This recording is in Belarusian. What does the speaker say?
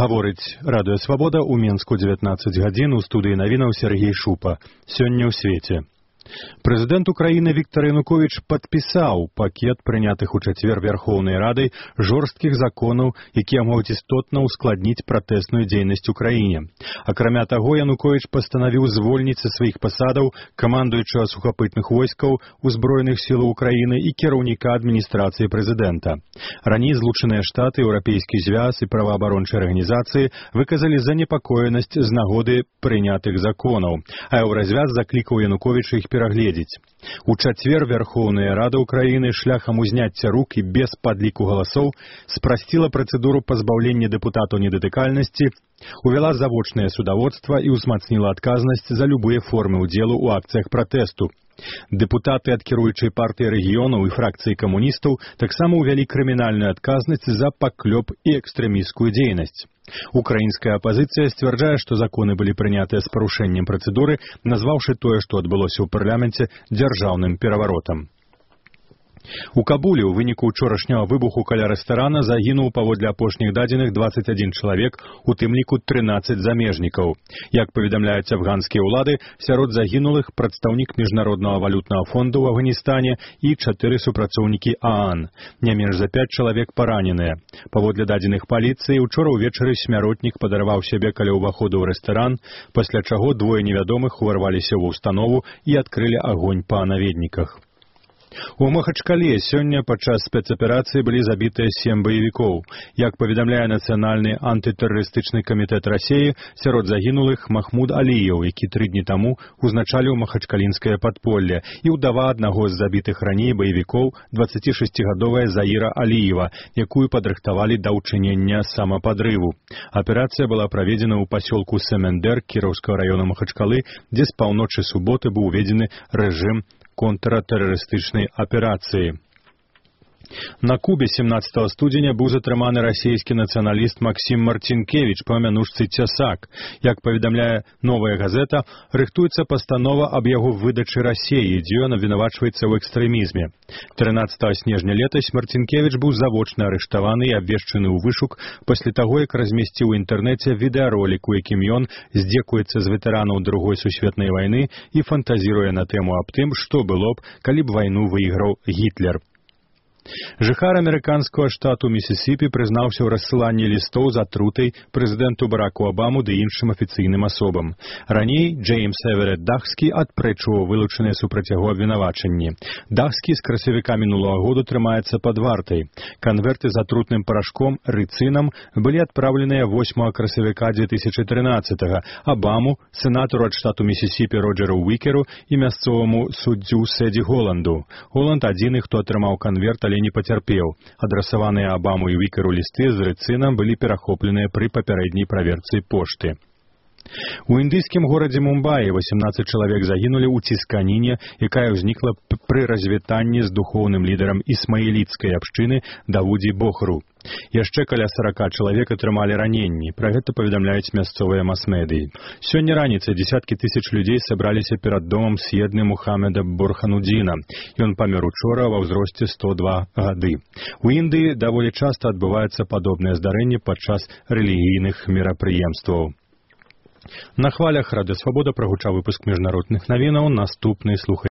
Гаворыць Радыё Свабода ў Менску 19 гадзін у студыі навінаў Сергей Шупа. Сёння ў свеце. Прэзідэнт Украіны Віктор Януковіч падпісаў пакет прынятых у чацвер Верхоўнай Радай жорсткіх законаў, якія могуць істотна ўскладніць пратэсную дзейнасць у краіне. Акрамя таго, Януковіч пастанавіў звольніць са сваіх пасадаў камандуючага сухапытных войскаў Узброеных сілаў Украіны і кіраўніка адміністрацыі прэзідэнта. Раней Злучаныя Штаты, Еўрапейскі звяз і праваабарончыя арганізацыі выказалі занепакоенасць з нагоды прынятых законаў, а Еўразвяз заклікаў Януковіча іх перагледзець. У чацвер Верхоўная Рада Украіны шляхам узняцця рук і без падліку галасоў спрасціла працэдуру пазбаўлення дэпутатаў недатыкальнасці, увяла завочнае судаводства і ўзмацніла адказнасць за любыя формы ўдзелу ў акцыях пратэсту. Дэпутаты ад кіруючай партыі рэгіёнаў і фракцыі камуністаў таксама ўвялі крымінальную адказнасць за паклёп і экстрэмісцкую дзейнасць. Украінская апазіцыя сцвярджае, што законы былі прынятыя з парушэннем працэдуры, назваўшы тое, што адбылося ў парламенце, дзяржаўным пераваротам. У Кабуле ў выніку ўчорашняга выбуху каля рэстарана загінуў паводле апошніх дадзеных 21 чалавек, у тым ліку 13 замежнікаў. Як паведамляюць афганскія ўлады, сярод загінулых прадстаўнік Міжнароднага валютнага фонду ў Афганістане і 4 супрацоўнікі ААН. Не менш за 5 чалавек параненыя. Паводле дадзеных паліцыі, учора ўвечары смяротнік падарваў сябе каля ўваходу ў рэстаран, пасля чаго двое невядомых уварваліся ў установу і адкрылі агонь па наведніках. У Махачкале сёння падчас спецаперацыі былі забітыя 7 баевікоў. Як паведамляе Нацыянальны антытэрарыстычны камітэт Расіі, сярод загінулых Махмуд Аліеў, які 3 дні таму узначаліў махачкалінскае падполле, і ўдава аднаго з забітых раней баевікоў, 26-гадовая Заіра Аліева, якую падрыхтавалі да ўчынення самападрыву. Аперацыя была праведзена ў пасёлку Семендер Кіроўскага раёна Махачкалы, дзе з паўночы суботы быў уведзены рэжым контртэрарыстычнай аперацыі. На Кубе 17 студзеня быў затрыманы расійскі нацыяналіст Максім Марцінкевіч па мянушцы Цясак. Як паведамляе «Новая газета», рыхтуецца пастанова аб яго выдачы Расіі, дзе ён абвінавачваецца ў экстрэмізме. 13 снежня летась Марцінкевіч быў завочна арыштаваны і абвешчаны ў вышук пасля таго, як размесціў у інтэрнэце відэаролік, у якім ён здзекуецца з ветэранаў Другой сусветнай вайны і фантазіруе на тэму аб тым, што было б, калі б вайну выйграў Гітлер. Жыхар амерыканскага штату Місісіпі прызнаўся ў рассыланні лістоў з атрутай прэзідэнту Бараку Абаму ды іншым афіцыйным асобам. Раней Джеймс Эверетт Дахскі адпрэчваў вылучаныя супраць яго абвінавачанні. Дахскі з красавіка мінулага году трымаецца пад вартай. Канверты з атрутным парашком рыцынам былі адпраўленыя 8 красавіка 2013-го Абаму, сенатару ад штату Місісіпі Роджеру Уікеру і мясцоваму суддзю Сэдзі Голанду. Голанд адзіны, хто атрымаў канверт, але не пацярпеў. Адрасаваныя Абаму і Вікеру лісты з рыцынам былі перахопленыя пры папярэдняй праверцы пошты. У індыйскім горадзе Мумбаі 18 чалавек загінулі ў цісканіне, якая ўзнікла пры развітанні з духоўным лідарам ісмаіліцкай абшчыны Давудзі Бохру. Яшчэ каля 40 чалавек атрымалі раненні. Пра гэта паведамляюць мясцовыя мас-медыі. Сёння раніцай дзесяткі тысяч людзей сабраліся перад домам С'едны Мухаммеда Бурханудзіна. Ён памёр учора ва ўзросце 102 гады. У Індыі даволі часта адбываюцца падобныя здарэнні падчас рэлігійных мерапрыемстваў. На хвалях Радыё Свабода прагучаў выпуск міжнародных навінаў. Наступны слухай.